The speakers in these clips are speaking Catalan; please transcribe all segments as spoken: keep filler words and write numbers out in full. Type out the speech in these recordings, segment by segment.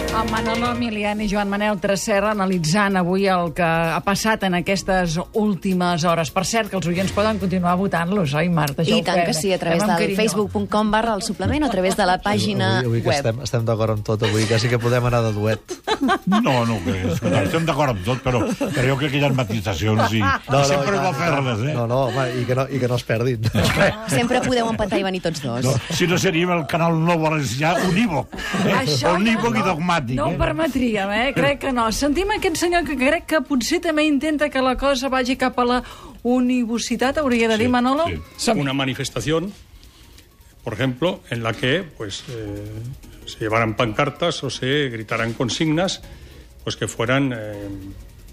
Amb Manolo Milian i Joan Manel Tresserra analitzant avui el que ha passat en aquestes últimes hores. Per cert, que els oients poden continuar votant-los, oi, Marta? I tant que sí, a través del facebook punt com barra el suplement o a través de la pàgina avui, avui que web. Estem, estem d'acord amb tot, avui quasi que podem anar de duet. No, no, que escolta, estem d'acord amb tot, però, però jo crec que hi ha matisacions i, No, i sempre no, no, fer-les, eh? No, no, home, i que no, i que no es perdin. Sempre podeu empatar i venir tots dos. No, si no seríem el canal nou valencià unívoc. Eh? Això Unívoc no, i dogmàtic. No ho eh? permetríem, eh? Crec que no. Sentim aquest senyor que crec que potser també intenta que la cosa vagi cap a la univocitat, hauria de dir, Manolo? Sí. Una manifestación, por ejemplo, en la que pues eh, se llevaran pancartas o se gritaran consignas pues que fueran eh,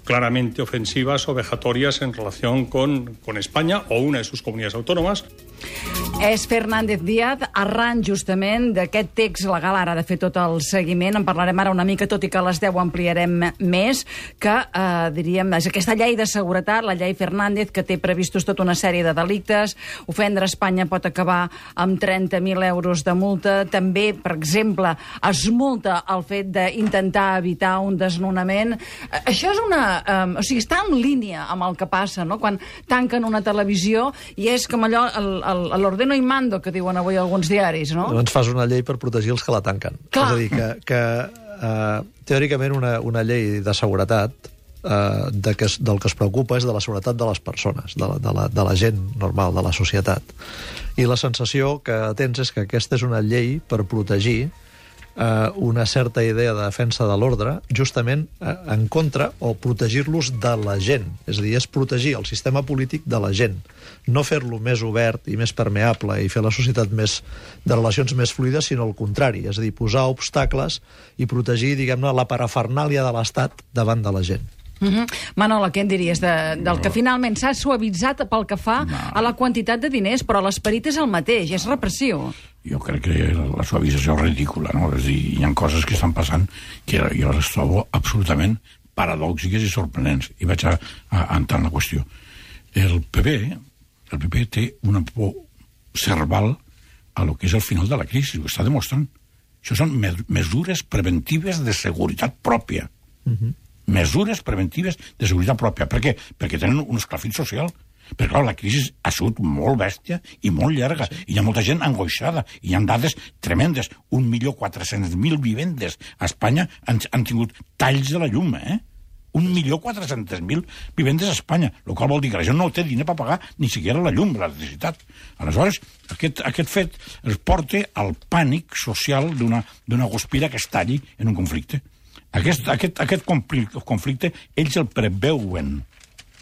claramente ofensivas o vejatorias en relación con, con España o una de sus comunidades autónomas. És Fernández Díaz, arran justament d'aquest text legal, ara de fer tot el seguiment, en parlarem ara una mica, tot i que a les deu ampliarem més, que, eh, diríem, és aquesta llei de seguretat, la llei Fernández, que té previstos tota una sèrie de delictes, ofendre Espanya pot acabar amb trenta mil euros de multa, també, per exemple, es multa el fet d'intentar evitar un desnonament. Eh, això és una... Eh, o sigui, està en línia amb el que passa, no?, quan tanquen una televisió i és com allò, l'ordeno y mando, que diuen avui alguns diaris, no? Doncs fas una llei per protegir els que la tanquen. Clar. És a dir, que, que uh, teòricament una, una llei de seguretat uh, de que, es- del que es preocupa és de la seguretat de les persones, de la, de, la, de la gent normal, de la societat. I la sensació que tens és que aquesta és una llei per protegir uh, una certa idea de defensa de l'ordre, justament uh, en contra o protegir-los de la gent. És a dir, és protegir el sistema polític de la gent. No fer-lo més obert i més permeable i fer la societat més, de relacions més fluides, sinó al contrari, és a dir, posar obstacles i protegir, diguem-ne, la parafernàlia de l'Estat davant de la gent. Uh -huh. Manolo, què en diries de, del que finalment s'ha suavitzat pel que fa a la quantitat de diners, però l'esperit és el mateix, és repressiu. Jo crec que la suavització és ridícula, no? És a dir, hi ha coses que estan passant que jo les trobo absolutament paradòxiques i sorprenents. I vaig a, a, a entrar en la qüestió. El P P, el P P té una por cerval a lo que és el final de la crisi, ho està demostrant. Això són me mesures preventives de seguretat pròpia. Uh-huh. Mesures preventives de seguretat pròpia. Per què? Perquè tenen un esclafit social. Perquè, clar, la crisi ha sigut molt bèstia i molt llarga, i hi ha molta gent angoixada, i hi ha dades tremendes. Un milió quatre-cents mil vivendes a Espanya han, han tingut talls de la llum, eh? Un milió quatre-cents mil vivendes a Espanya, el qual vol dir que la gent no té diner per pagar ni siquiera la llum, l'electricitat. Aleshores, aquest, aquest fet els porta al pànic social d'una d'una guspira que estalli en un conflicte. Aquest, aquest, aquest conflicte, conflicte ells el preveuen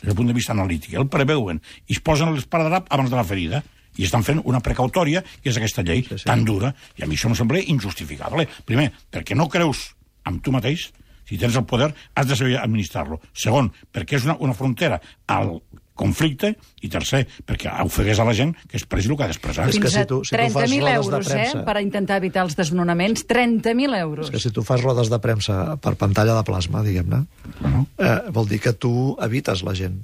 des del punt de vista analític, el preveuen i es posen l'esparadrap abans de la ferida i estan fent una precautòria, que és aquesta llei Sí, sí. tan dura, i a mi això em sembla injustificable. Primer, perquè no creus amb tu mateix. Si tens el poder, has de saber administrar-lo. Segon, perquè és una, una frontera al conflicte, i tercer, perquè ofegués a la gent que expressi el que ha d'expressar. És que Fins si a tu- si tu trenta fas mil rodes de euros, eh, premsa- per intentar evitar els desnonaments. trenta mil euros. És que si tu fas rodes de premsa per pantalla de plasma, diguem-ne, Bueno, eh, vol dir que tu evites la gent.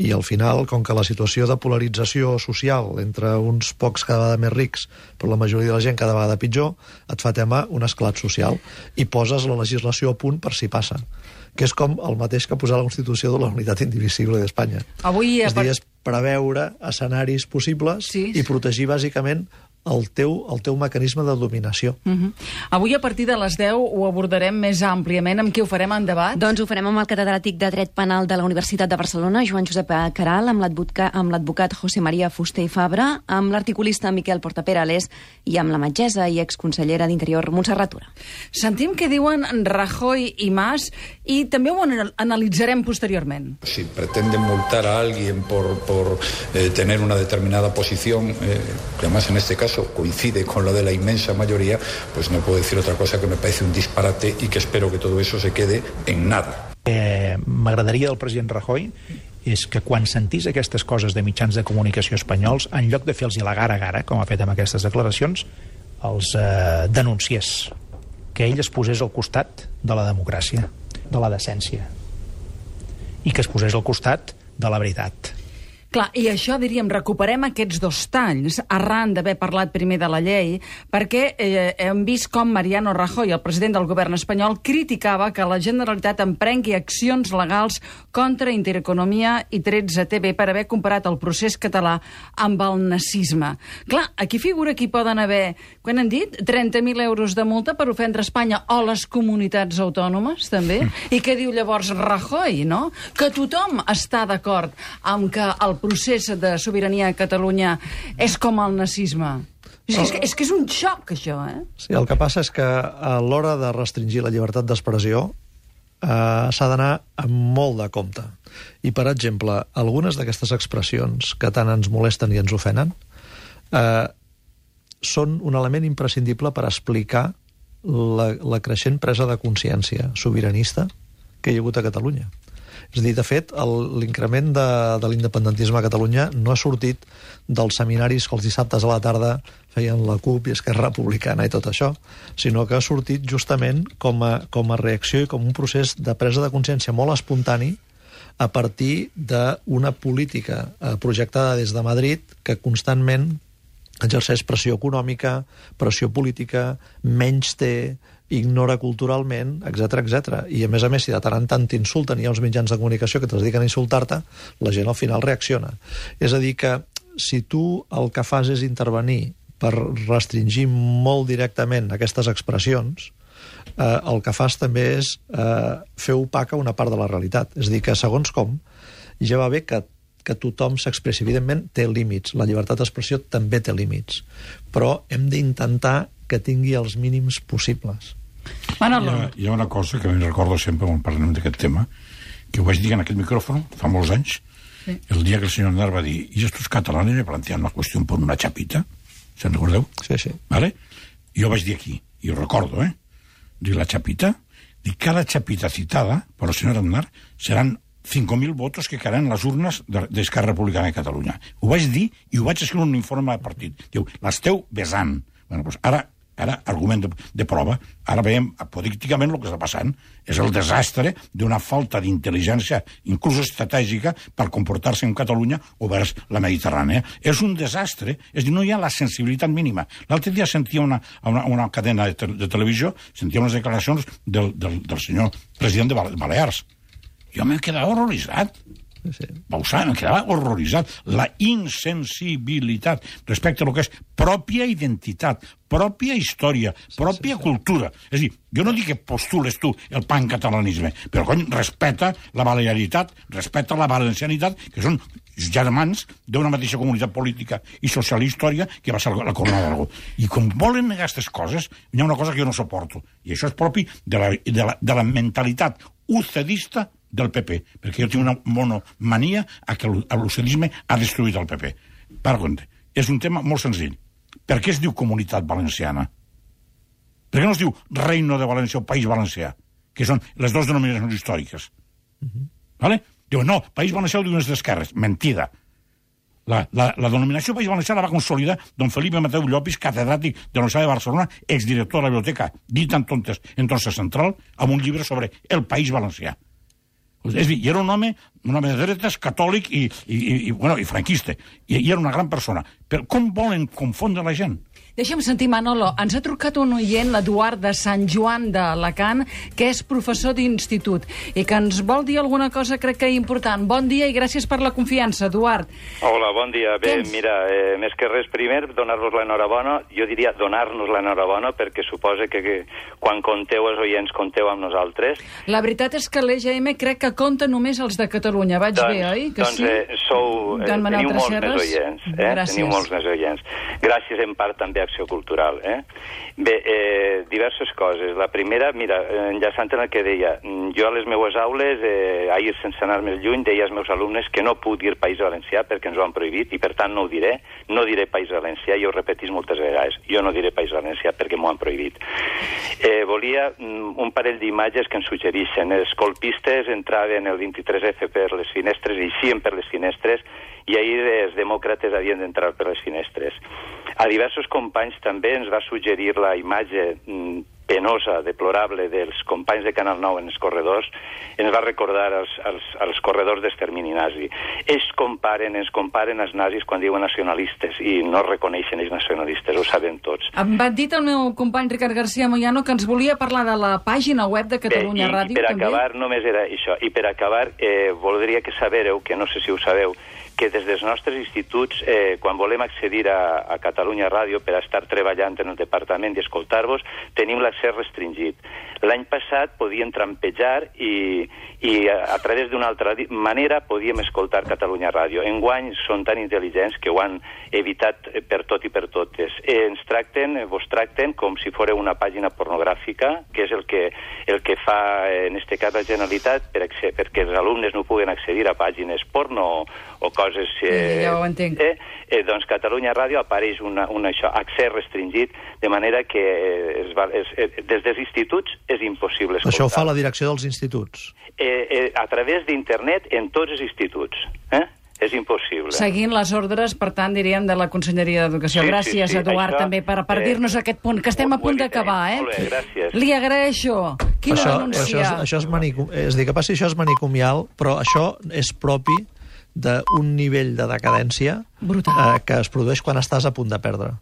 I al final, com que la situació de polarització social entre uns pocs cada vegada més rics, però la majoria de la gent cada vegada pitjor, et fa tema un esclat social. I poses la legislació a punt per si passa. Que és com el mateix que posar la Constitució de la unitat indivisible d'Espanya. Avui, És a a dir, part- és preveure escenaris possibles Sí. i protegir, bàsicament, el teu, el teu mecanisme de dominació. Uh -huh. Avui, a partir de les deu, ho abordarem més àmpliament. Amb qui ho farem en debat? Doncs ho farem amb el catedràtic de Dret Penal de la Universitat de Barcelona, Joan Josep Caral, amb l'advocat amb l'advocat José María Fuster i Fabra, amb l'articulista Miquel Portaperales i amb la metgessa i exconsellera d'Interior, Montserrat Tura. Sentim què diuen Rajoy i Mas i també ho anal- analitzarem posteriorment. Si pretenden multar a alguien por, por eh, tener una determinada posición, eh, que además en este caso coincide con la de la inmensa mayoría, pues no puedo decir otra cosa que me parece un disparate y que espero que todo eso se quede en nada. Eh, M'agradaria del president Rajoy és que quan sentís aquestes coses de mitjans de comunicació espanyols, en lloc de fer-los la gara a gara, com ha fet amb aquestes declaracions, els eh, denunciés, que ell es posés al costat de la democràcia, de la decència, i que es posés al costat de la veritat. Clar, i això, diríem, recuperem aquests dos talls arran d'haver parlat primer de la llei, perquè eh, hem vist com Mariano Rajoy, el president del govern espanyol, criticava que la Generalitat emprengui accions legals contra Intereconomia i tretze T V per haver comparat el procés català amb el nazisme. Clar, aquí figura que hi poden haver, quan han dit, trenta mil euros de multa per ofendre Espanya o les comunitats autònomes, també? I què diu llavors Rajoy, no? Que tothom està d'acord amb que el procés de sobirania a Catalunya és com el nazisme. És, és, és que és un xoc, això, eh? Sí, el que passa és que a l'hora de restringir la llibertat d'expressió eh, s'ha d'anar amb molt de compte. I, per exemple, algunes d'aquestes expressions que tant ens molesten i ens ofenen eh, són un element imprescindible per explicar la, la creixent presa de consciència sobiranista que hi ha hagut a Catalunya. És a dir, de fet, l'increment de, de l'independentisme a Catalunya no ha sortit dels seminaris que els dissabtes a la tarda feien la CUP i Esquerra Republicana i tot això, sinó que ha sortit justament com a, com a reacció i com un procés de presa de consciència molt espontani a partir d'una política projectada des de Madrid que constantment exerceix pressió econòmica, pressió política, menys té, ignora culturalment, etcètera, etcètera. I, a més a més, si de tant en tant t'insulten i hi ha uns mitjans de comunicació que es dediquen a insultar-te, la gent al final reacciona. És a dir, que si tu el que fas és intervenir per restringir molt directament aquestes expressions, eh, el que fas també és eh, fer opaca una part de la realitat. És a dir, que segons com, ja va bé que que tothom s'expressi. Evidentment, té límits. La llibertat d'expressió també té límits. Però hem d'intentar que tingui els mínims possibles. Manolo. Hi ha, hi ha una cosa que em recordo sempre quan parlem d'aquest tema, que ho vaig dir en aquest micròfon fa molts anys, sí. El dia que el senyor Aznar va dir «Y estos catalanes me plantean la cuestión por una chapita». ¿Se'n recordeu? Sí, sí. ¿Vale? Jo vaig dir aquí, i ho recordo, eh? Dic, la chapita, dic, cada chapita citada por el señor Aznar seran cinco mil votos que quedaran en les urnes d'Esquerra Republicana de Catalunya. Ho vaig dir i ho vaig escriure en un informe de partit. Diu, l'esteu besant. Bueno, doncs ara, ara argument de, de prova, ara veiem apodícticament el que està passant. És el desastre d'una falta d'intel·ligència, inclús estratègica, per comportar-se en Catalunya o vers la Mediterrània. És un desastre, és a dir, no hi ha la sensibilitat mínima. L'altre dia sentia una, una, una cadena de, te, de televisió, sentia unes declaracions del, del, del senyor president de Balears. Jo m'he quedat horroritzat. Sí. Bausà, m'he quedat horroritzat. La insensibilitat respecte a lo que és pròpia identitat, pròpia història, pròpia sí, sí, sí. cultura. És a dir, jo no dic que postules tu el pancatalanisme, però, cony, respecta la balearitat, respecta la valencianitat, que són germans d'una mateixa comunitat política i social i història que va ser la Corona d'Aragó. I com volen negar aquestes coses, hi ha una cosa que jo no suporto, i això és propi de la, de la, de la mentalitat ucedista del P P, perquè jo tinc una monomania a que l'ucedisme ha destruït el P P. Per compte, és un tema molt senzill. Per què es diu Comunitat Valenciana? Per què no es diu Reino de València o País Valencià? Que són les dues denominacions històriques. Uh-huh. Vale? Diuen, no, País Valencià ho diuen les d'esquerres. Mentida. La, la, la denominació País Valencià la va consolidar don Felipe Mateu Llopis, catedràtic de la Universitat de Barcelona, exdirector de la biblioteca, dit en tontes, en Torsa Central, amb un llibre sobre el País Valencià. És a dir, era un home, un home de dretes, catòlic i, i, i, bueno, i franquista. I, i era una gran persona. Però com volen confondre la gent? Deixa'm sentir, Manolo, ens ha trucat un oient, l'Eduard de Sant Joan d'Alacant, que és professor d'institut i que ens vol dir alguna cosa, crec que important. Bon dia i gràcies per la confiança, Eduard. Hola, bon dia. Bé, Tens? mira, eh, més que res, primer, donar-vos l'enhorabona. Jo diria donar-nos l'enhorabona perquè suposa que, que quan conteu els oients, conteu amb nosaltres. La veritat és que l'E G M crec que compta només els de Catalunya. Vaig doncs, bé, oi? Que doncs sí? eh, sou, eh, teniu molts més oients. Eh? Gràcies. Teniu molts més oients. Gràcies en part també a Acció Cultural. Eh? Bé, eh, diverses coses. La primera, mira, enllaçant en el que deia, jo a les meues aules, eh, ahir sense anar més lluny, deia als meus alumnes que no puc dir País Valencià perquè ens ho han prohibit i per tant no ho diré, no diré País Valencià i ho repetís moltes vegades. Jo no diré País Valencià perquè m'ho han prohibit. Eh, volia un parell d'imatges que ens suggereixen. Els colpistes entraven el vint-i-tres F per les finestres i eixien per les finestres i ahir els demòcrates havien d'entrar per les finestres. A diversos companys també ens va suggerir la imatge penosa, deplorable dels companys de Canal nou en els corredors, ens va recordar els, els, els corredors d'extermini nazi. Ells comparen, ens comparen els nazis quan diuen nacionalistes i no reconeixen ells nacionalistes, ho sabem tots. Em va dir el meu company Ricard García Moyano que ens volia parlar de la pàgina web de Catalunya Bé, i, Ràdio. I per també. acabar, només era això. I per acabar, eh, voldria que sabereu, que no sé si ho sabeu, que des dels nostres instituts, eh, quan volem accedir a, a Catalunya Ràdio per estar treballant en el departament i escoltar-vos, tenim l'accés restringit. L'any passat podíem trampejar i, i a, a través d'una altra manera podíem escoltar Catalunya Ràdio. Enguany són tan intel·ligents que ho han evitat per tot i per totes. Eh, ens tracten, vos tracten com si fos una pàgina pornogràfica, que és el que, el que fa, en este cas, la Generalitat, per, perquè els alumnes no puguen accedir a pàgines porno o coses... Eh, ja ho entenc. Eh, eh, doncs Catalunya Ràdio apareix una, una, això, accés restringit, de manera que es va, es, eh, des dels instituts és impossible escoltar. Això ho fa la direcció dels instituts? Eh, eh, a través d'internet en tots els instituts. Eh? És impossible. Seguint les ordres, per tant, diríem, de la Conselleria d'Educació. Sí, Gràcies, sí, sí. Eduard, Això, també, per, per eh, dir-nos aquest punt, que estem a punt d'acabar, eh? Molt bé, gràcies. Li agraeixo. Quina això, denúncia. això, és, això és, manicom... és a dir, que passi això és manicomial, però això és propi d'un nivell de decadència brutal, eh, que es produeix quan estàs a punt de perdre.